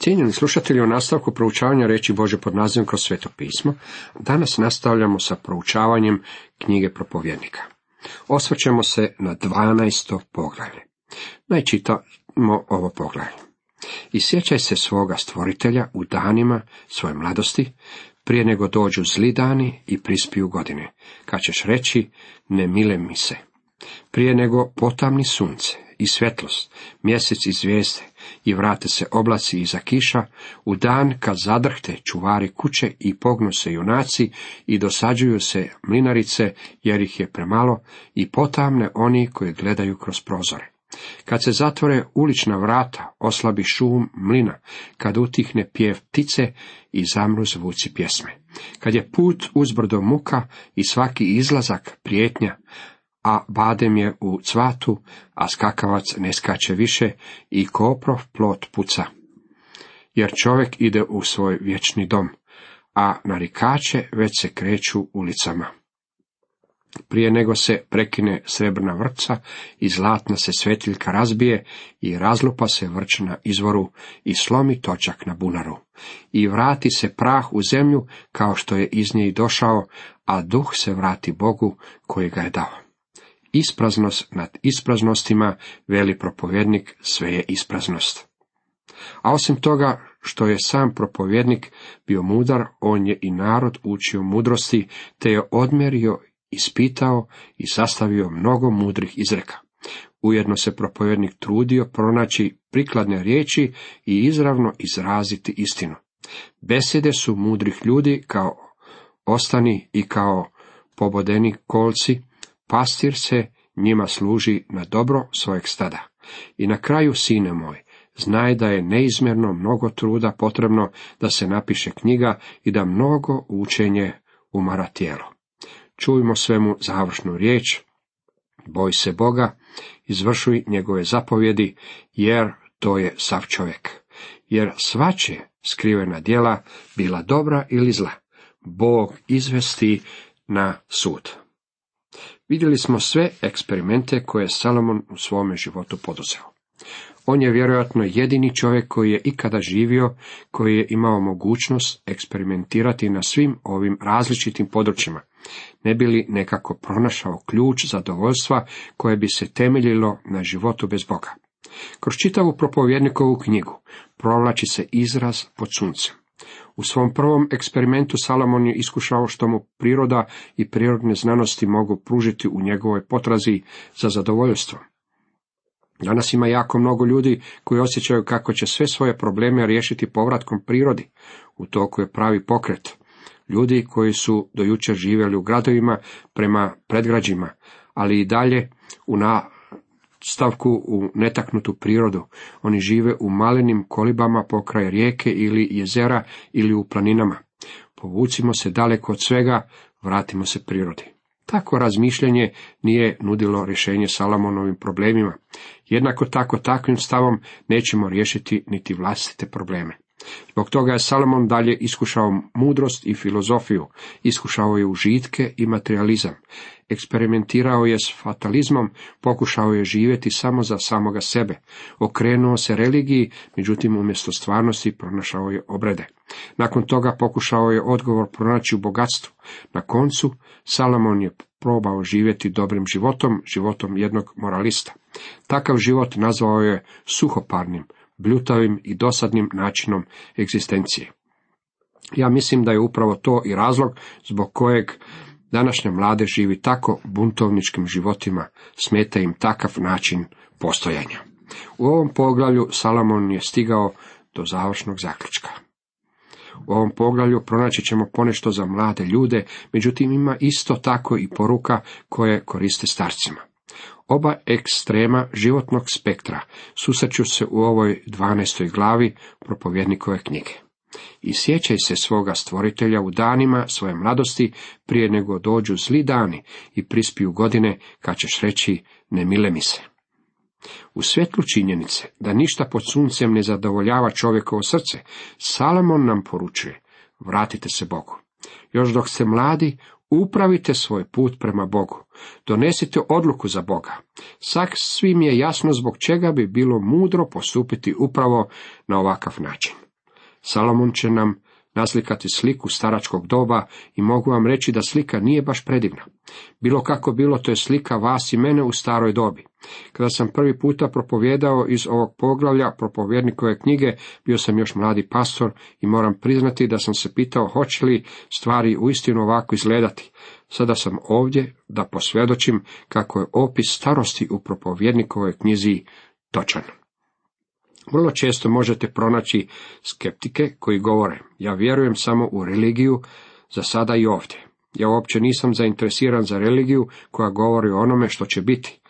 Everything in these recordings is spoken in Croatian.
Cijenjeni slušatelji, u nastavku proučavanja riječi Božje pod nazivom Kroz Sveto pismo, danas nastavljamo sa proučavanjem knjige Propovjednika. Osvrćemo se na 12. poglavlje. Čitamo ovo poglavlje. I sjećaj se svoga stvoritelja u danima svoje mladosti, prije nego dođu zli dani i prispiju godine, kad ćeš reći, ne mile mi se. Prije nego potamni sunce i svjetlost, mjesec i zvijezde, i vrate se oblaci iza kiša, u dan kad zadrhte čuvari kuće i pognu se junaci i dosađuju se mlinarice, jer ih je premalo, i potamne oni koji gledaju kroz prozore. Kad se zatvore ulična vrata, oslabi šum mlina, kad utihne pjev ptice i zamru zvuci pjesme. Kad je put uzbrdo muka i svaki izlazak prijetnja, a badem je u cvatu, a skakavac ne skače više i koprov plot puca. Jer čovjek ide u svoj vječni dom, a narikače već se kreću ulicama. Prije nego se prekine srebrna vrpca i zlatna se svetiljka razbije i razlupa se vrč na izvoru i slomi točak na bunaru. I vrati se prah u zemlju kao što je iz nje došao, a duh se vrati Bogu koji ga je dao. Ispraznost nad ispraznostima, veli propovjednik, sve je ispraznost. A osim toga što je sam propovjednik bio mudar, on je i narod učio mudrosti, te je odmjerio, ispitao i sastavio mnogo mudrih izreka. Ujedno se propovjednik trudio pronaći prikladne riječi i izravno izraziti istinu. Besjede su mudrih ljudi kao ostani i kao pobodeni kolci, pastir se njima služi na dobro svojeg stada. I na kraju, sine moj, znaj da je neizmjerno mnogo truda potrebno da se napiše knjiga i da mnogo učenje umara tijelo. Čujmo svemu završnu riječ, boj se Boga, izvršuj njegove zapovjedi, jer to je sav čovjek. Jer svače skrivena djela, bila dobra ili zla, Bog izvesti na sud. Vidjeli smo sve eksperimente koje je Salomon u svome životu poduzeo. On je vjerojatno jedini čovjek koji je ikada živio, koji je imao mogućnost eksperimentirati na svim ovim različitim područjima, ne bi li nekako pronašao ključ zadovoljstva koje bi se temeljilo na životu bez Boga. Kroz čitavu propovjednikovu knjigu provlači se izraz pod suncem. U svom prvom eksperimentu Salomon je iskušao što mu priroda i prirodne znanosti mogu pružiti u njegovoj potrazi za zadovoljstvom. Danas ima jako mnogo ljudi koji osjećaju kako će sve svoje probleme riješiti povratkom prirodi. U toku je pravi pokret. Ljudi koji su do jučer živjeli u gradovima prema predgrađima, ali i dalje u nastavku u netaknutu prirodu. Oni žive u malenim kolibama pokraj rijeke ili jezera ili u planinama. Povucimo se daleko od svega, vratimo se prirodi. Tako razmišljanje nije nudilo rješenje Salomonovim problemima. Jednako tako takvim stavom nećemo riješiti niti vlastite probleme. Zbog toga je Salomon dalje iskušao mudrost i filozofiju, iskušao je užitke i materializam, eksperimentirao je s fatalizmom, pokušao je živjeti samo za samoga sebe, okrenuo se religiji, međutim umjesto stvarnosti pronašao je obrede. Nakon toga pokušao je odgovor pronaći u bogatstvu. Na koncu Salomon je probao živjeti dobrim životom, životom jednog moralista. Takav život nazvao je suhoparnim, bljutavim i dosadnim načinom egzistencije. Ja mislim da je upravo to i razlog zbog kojeg današnja mladež živi tako buntovničkim životima, smeta im takav način postojanja. U ovom poglavlju Salomon je stigao do završnog zaključka. U ovom poglavlju pronaći ćemo ponešto za mlade ljude, međutim ima isto tako i poruka koje koriste starcima. Oba ekstrema životnog spektra susreću se u ovoj 12. glavi propovjednikove knjige. I sjećaj se svoga stvoritelja u danima svoje mladosti, prije nego dođu zli dani i prispiju godine, kad ćeš reći, ne mile mi se. U svjetlu činjenice da ništa pod suncem ne zadovoljava čovjekovo srce, Salomon nam poručuje, vratite se Bogu. Još dok ste mladi, upravite svoj put prema Bogu. Donesite odluku za Boga. Svim je jasno zbog čega bi bilo mudro postupiti upravo na ovakav način. Salomon će nam naslikati sliku staračkog doba i mogu vam reći da slika nije baš predivna. Bilo kako bilo, to je slika vas i mene u staroj dobi. Kada sam prvi puta propovijedao iz ovog poglavlja propovjednikove knjige, bio sam još mladi pastor i moram priznati da sam se pitao hoće li stvari uistinu ovako izgledati. Sada sam ovdje da posvjedočim kako je opis starosti u propovjednikovoj knjizi točan. Vrlo često možete pronaći skeptike koji govore: ja vjerujem samo u religiju za sada i ovdje. Ja uopće nisam zainteresiran za religiju koja govori o onome što će biti.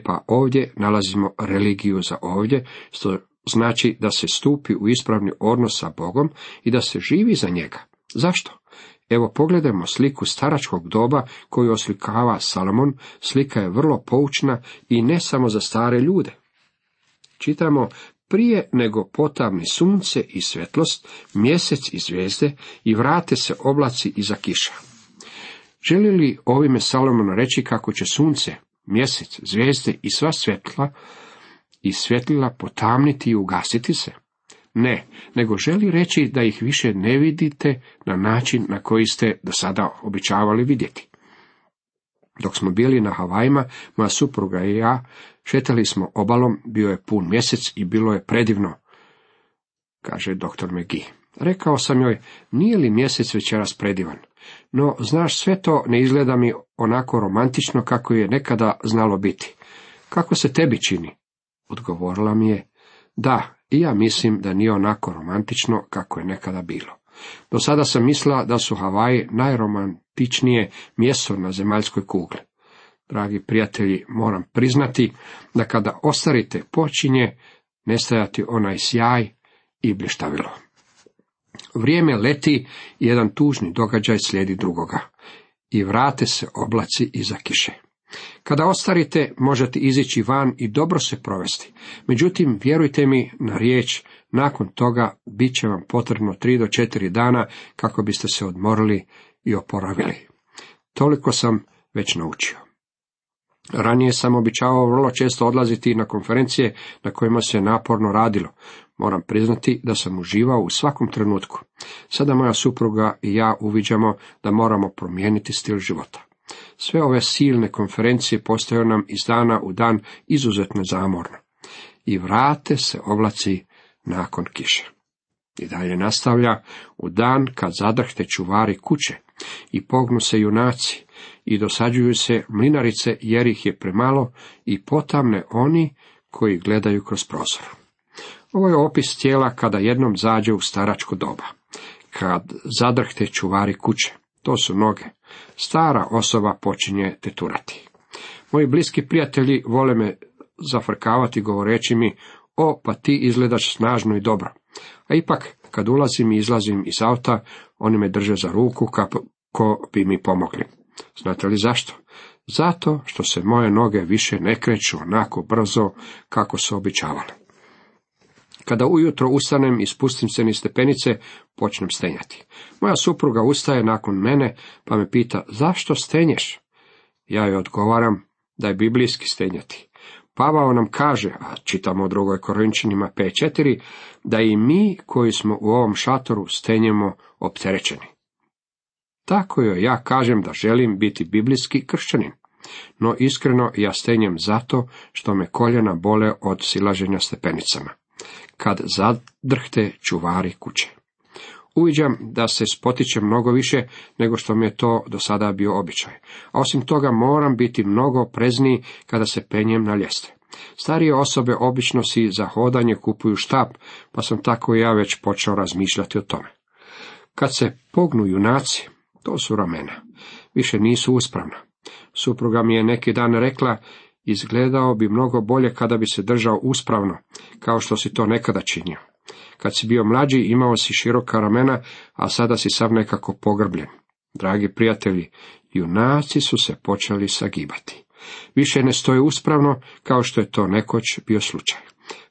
Pa ovdje nalazimo religiju za ovdje, što znači da se stupi u ispravni odnos sa Bogom i da se živi za njega. Zašto? Evo pogledajmo sliku staračkog doba koju oslikava Salomon. Slika je vrlo poučna i ne samo za stare ljude. Čitamo: prije nego potamni sunce i svjetlost, mjesec i zvijezde, i vrate se oblaci iza kiša. Želi li ovime Salomon reći kako će sunce, mjesec, zvijezde i sva svjetla i svjetlila potamniti i ugasiti se? Ne, nego želi reći da ih više ne vidite na način na koji ste do sada običavali vidjeti. Dok smo bili na Havajima, moja supruga i ja šetali smo obalom, bio je pun mjesec i bilo je predivno, kaže dr. McGee. Rekao sam joj: nije li mjesec večeras predivan? No, znaš, sve to ne izgleda mi onako romantično kako je nekada znalo biti. Kako se tebi čini? Odgovorila mi je: da, i ja mislim da nije onako romantično kako je nekada bilo. Do sada sam mislila da su Havaji najromantičnije mjesto na zemaljskoj kugli. Dragi prijatelji, moram priznati da kada ostarite počinje nestajati onaj sjaj i blještavilo. Vrijeme leti i jedan tužni događaj slijedi drugoga. I vrate se oblaci iza kiše. Kada ostarite, možete izići van i dobro se provesti. Međutim, vjerujte mi na riječ, nakon toga bit će vam potrebno 3 do 4 dana kako biste se odmorili i oporavili. Toliko sam već naučio. Ranije sam običavao vrlo često odlaziti na konferencije na kojima se naporno radilo. Moram priznati da sam uživao u svakom trenutku. Sada moja supruga i ja uviđamo da moramo promijeniti stil života. Sve ove silne konferencije postaju nam iz dana u dan izuzetno zamorno. I vrate se oblaci nakon kiše. I dalje nastavlja: u dan kad zadrhte čuvari kuće i pognu se junaci i dosađuju se mlinarice jer ih je premalo i potamne oni koji gledaju kroz prozor. Ovo je opis tijela kada jednom zađe u staračko doba. Kad zadrhte čuvari kuće, to su noge. Stara osoba počinje teturati. Moji bliski prijatelji vole me zafrkavati govoreći mi: o, pa ti izgledaš snažno i dobro. A ipak, kad ulazim i izlazim iz auta, oni me drže za ruku kako bi mi pomogli. Znate li zašto? Zato što se moje noge više ne kreću onako brzo kako su običavale. Kada ujutro ustanem i spustim se niz stepenice, počnem stenjati. Moja supruga ustaje nakon mene pa me pita: zašto stenješ? Ja joj odgovaram da je biblijski stenjati. Pavao nam kaže, a čitamo u 2. Korinčanima 5:4, da i mi koji smo u ovom šatoru stenjemo opterećeni. Tako joj ja kažem da želim biti biblijski kršćanin. No iskreno ja stenjem zato što me koljena bole od silaženja stepenicama. Kad zadrhte čuvari kuće. Uviđam da se spotičem mnogo više nego što mi je to do sada bio običaj. A osim toga moram biti mnogo oprezniji kada se penjem na ljestve. Starije osobe obično si za hodanje kupuju štap, pa sam tako i ja već počeo razmišljati o tome. Kad se pognu junaci, to su ramena, više nisu uspravna. Supruga mi je neki dan rekla: izgledao bi mnogo bolje kada bi se držao uspravno, kao što si to nekada činio. Kad si bio mlađi, imao si široka ramena, a sada si sav nekako pogrbljen. Dragi prijatelji, junaci su se počeli sagibati. Više ne stoje uspravno, kao što je to nekoć bio slučaj.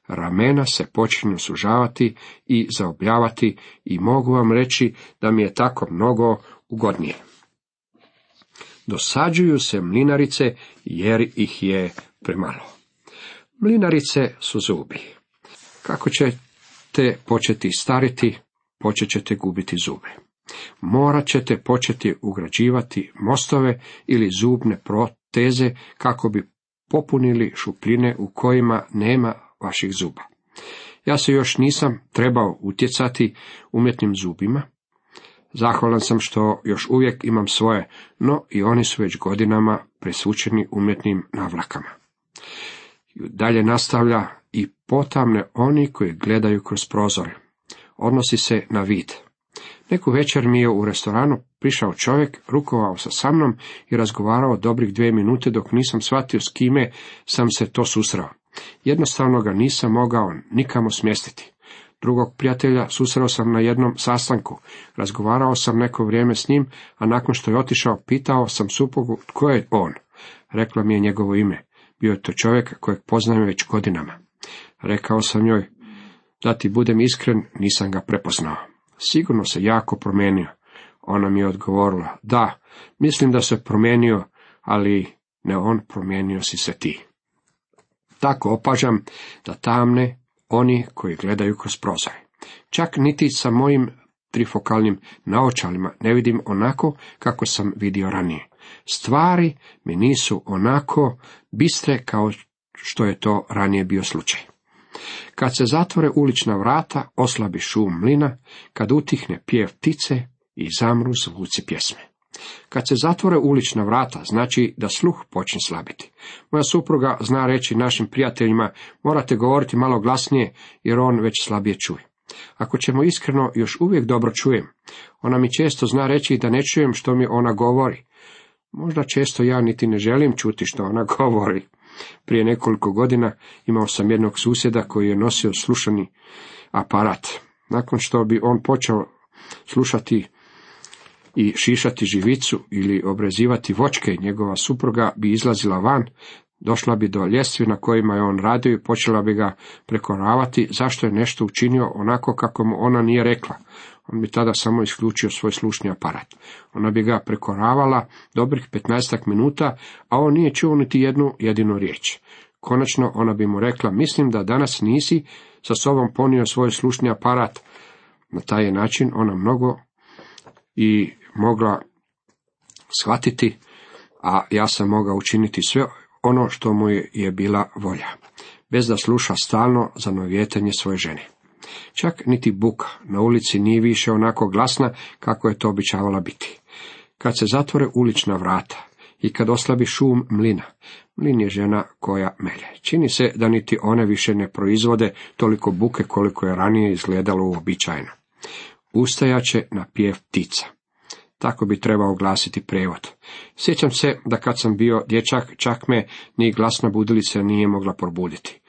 Ramena se počinju sužavati i zaobljavati i mogu vam reći da mi je tako mnogo ugodnije. Dosađuju se mlinarice jer ih je premalo. Mlinarice su zubi. Kako ćete početi stariti, počet ćete gubiti zube. Morat ćete početi ugrađivati mostove ili zubne proteze kako bi popunili šupljine u kojima nema vaših zuba. Ja se još nisam trebao utjecati umjetnim zubima. Zahvalan sam što još uvijek imam svoje, no i oni su već godinama presvučeni umjetnim navlakama. Dalje nastavlja i potamne oni koji gledaju kroz prozore. Odnosi se na vid. Neku večer mi je u restoranu prišao čovjek, rukovao se sa mnom i razgovarao dobrih 2 minute dok nisam shvatio s kime sam se to susreo. Jednostavno ga nisam mogao nikamo smjestiti. Drugog prijatelja susreo sam na jednom sastanku. Razgovarao sam neko vrijeme s njim, a nakon što je otišao, pitao sam suprugu tko je on. Rekla mi je njegovo ime. Bio je to čovjek kojeg poznajem već godinama. Rekao sam joj, da ti budem iskren, nisam ga prepoznao. Sigurno se jako promijenio. Ona mi je odgovorila, da, mislim da se promijenio, ali ne on, promijenio si se ti. Tako opažam da tamne oni koji gledaju kroz prozore. Čak niti sa mojim trifokalnim naočalima ne vidim onako kako sam vidio ranije. Stvari mi nisu onako bistre kao što je to ranije bio slučaj. Kad se zatvore ulična vrata, oslabi šum mlina, kad utihne pjev ptice i zamru zvuci pjesme. Kad se zatvore ulična vrata, znači da sluh počne slabiti. Moja supruga zna reći našim prijateljima, morate govoriti malo glasnije, jer on već slabije čuje. Ako ćemo iskreno, još uvijek dobro čujem. Ona mi često zna reći da ne čujem što mi ona govori. Možda često ja niti ne želim čuti što ona govori. Prije nekoliko godina imao sam jednog susjeda koji je nosio slušani aparat. Nakon što bi on počeo slušati i šišati živicu ili obrezivati voćke, njegova supruga bi izlazila van, došla bi do ljestvi na kojima je on radio i počela bi ga prekoravati zašto je nešto učinio onako kako mu ona nije rekla. On bi tada samo isključio svoj slušni aparat. Ona bi ga prekoravala dobrih 15 minuta, a on nije čuo niti jednu jedinu riječ. Konačno ona bi mu rekla, mislim da danas nisi sa sobom ponio svoj slušni aparat. Na taj način ona mnogo i mogla shvatiti, a ja sam mogao učiniti sve ono što mu je bila volja, bez da sluša stalno zanovijetanje svoje žene. Čak niti buka na ulici nije više onako glasna kako je to običavala biti. Kad se zatvore ulična vrata i kad oslabi šum mlina, mlin je žena koja melje. Čini se da niti one više ne proizvode toliko buke koliko je ranije izgledalo uobičajeno. Ustajaće na pjev ptica. Tako bi trebao glasiti prevod. Sjećam se da kad sam bio dječak, čak me ni glasna budilica nije mogla probuditi.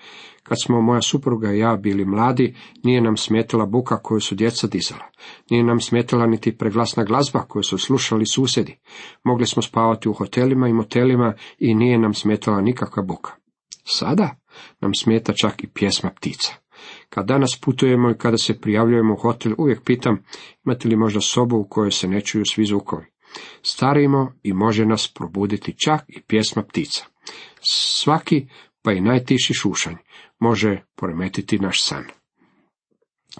Kad smo moja supruga i ja bili mladi, nije nam smetala buka koju su djeca dizala. Nije nam smetala niti preglasna glazba koju su slušali susjedi. Mogli smo spavati u hotelima i motelima i nije nam smetala nikakva buka. Sada nam smeta čak i pjesma ptica. Kad danas putujemo i kada se prijavljujemo u hotel, uvijek pitam, imate li možda sobu u kojoj se ne čuju svi zvukovi. Starimo i može nas probuditi čak i pjesma ptica. Svaki, pa i najtiši šušanj, može poremetiti naš san.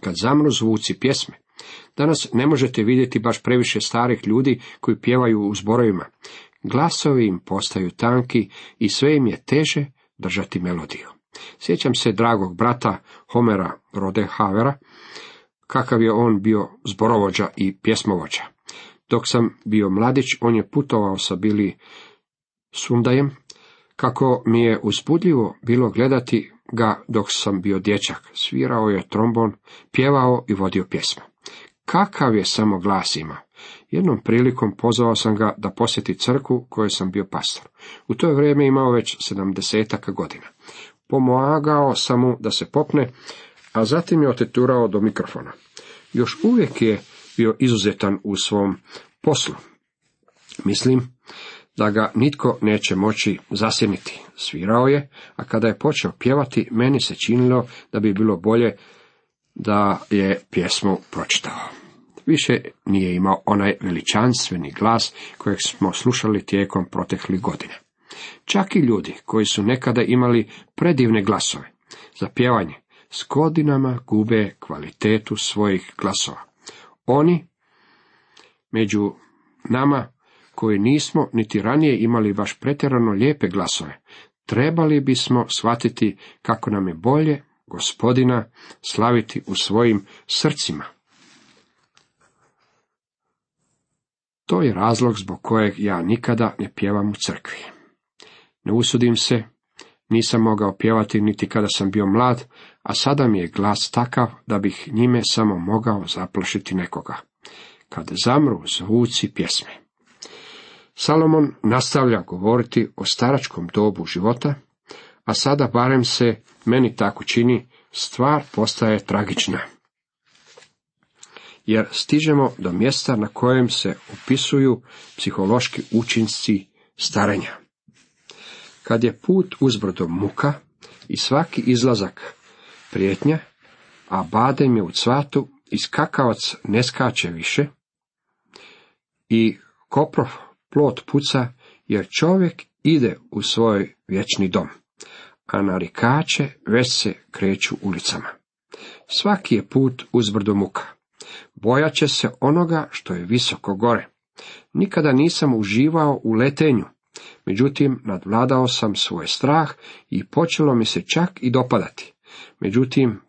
Kad zamru zvuci pjesme, danas ne možete vidjeti baš previše starih ljudi koji pjevaju u zborovima. Glasovi im postaju tanki i sve im je teže držati melodiju. Sjećam se dragog brata Homera Rodehavera, kakav je on bio zborovođa i pjesmovođa. Dok sam bio mladić, on je putovao sa Billy Sundajem, kako mi je uzbudljivo bilo gledati ga dok sam bio dječak. Svirao je trombon, pjevao i vodio pjesmu. Kakav je samo glas ima! Jednom prilikom pozvao sam ga da posjeti crkvu kojoj sam bio pastor. U to vrijeme imao već 70 godina. Pomagao sam mu da se popne, a zatim je oteturao do mikrofona. Još uvijek je bio izuzetan u svom poslu. Mislim da ga nitko neće moći zasjeniti. Svirao je, a kada je počeo pjevati, meni se činilo da bi bilo bolje da je pjesmu pročitao. Više nije imao onaj veličanstveni glas kojeg smo slušali tijekom proteklih godina. Čak i ljudi koji su nekada imali predivne glasove za pjevanje, s godinama gube kvalitetu svojih glasova. Oni među nama koji nismo niti ranije imali baš pretjerano lijepe glasove, trebali bismo shvatiti kako nam je bolje Gospodina slaviti u svojim srcima. To je razlog zbog kojeg ja nikada ne pjevam u crkvi. Ne usudim se, nisam mogao pjevati niti kada sam bio mlad, a sada mi je glas takav da bih njime samo mogao zaplašiti nekoga. Kad zamru zvuci pjesme. Salomon nastavlja govoriti o staračkom dobu života, a sada barem se meni tako čini, stvar postaje tragična. Jer stižemo do mjesta na kojem se opisuju psihološki učinci starenja. Kad je put uzbrdo muka i svaki izlazak prijetnja, a badem je u cvatu i skakavac ne skače više, i koprov plot puca, jer čovjek ide u svoj vječni dom, a narikače već se kreću ulicama. Svaki je put uzbrdo muka. Bojat će se onoga što je visoko gore. Nikada nisam uživao u letenju, međutim nadvladao sam svoj strah i počelo mi se čak i dopadati. Međutim,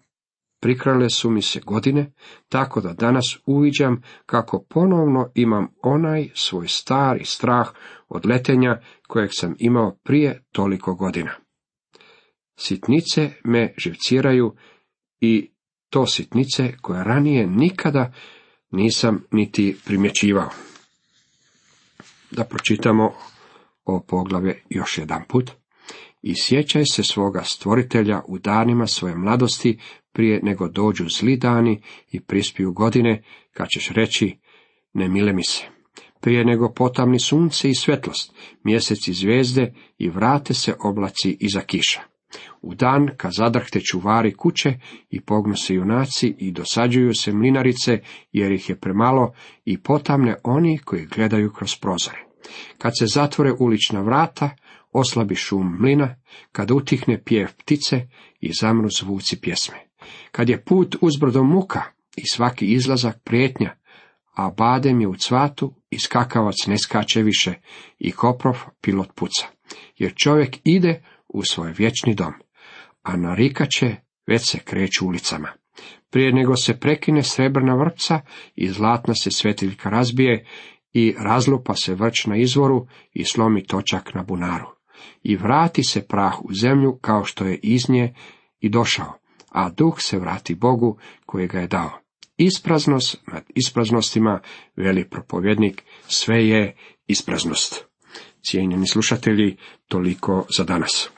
prikrale su mi se godine, tako da danas uviđam kako ponovno imam onaj svoj stari strah od letenja kojeg sam imao prije toliko godina. Sitnice me živciraju i to sitnice koje ranije nikada nisam niti primjećivao. Da pročitamo ovo poglavlje još jedan put. I sjećaj se svoga stvoritelja u danima svoje mladosti, prije nego dođu zli dani i prispiju godine, kad ćeš reći, ne mile mi se. Prije nego potamni sunce i svjetlost, mjesec i zvijezde i vrate se oblaci iza kiša. U dan kad zadrhte čuvari kuće i pognu se junaci i dosađuju se mlinarice, jer ih je premalo, i potamne oni koji gledaju kroz prozore. Kad se zatvore ulična vrata, oslabi šum mlina, kad utihne pjev ptice i zamru zvuci pjesme. Kad je put uzbrdo muka i svaki izlazak prijetnja, a badem je u cvatu i skakavac ne skače više i koprov pilot puca. Jer čovjek ide u svoj vječni dom, a narikače već se kreću ulicama. Prije nego se prekine srebrna vrpca i zlatna se svetiljka razbije i razlupa se vrč na izvoru i slomi točak na bunaru. I vrati se prah u zemlju kao što je iz nje i došao, a duh se vrati Bogu koji ga je dao. Ispraznost nad ispraznostima, veli propovjednik, sve je ispraznost. Cijenjeni slušatelji, toliko za danas.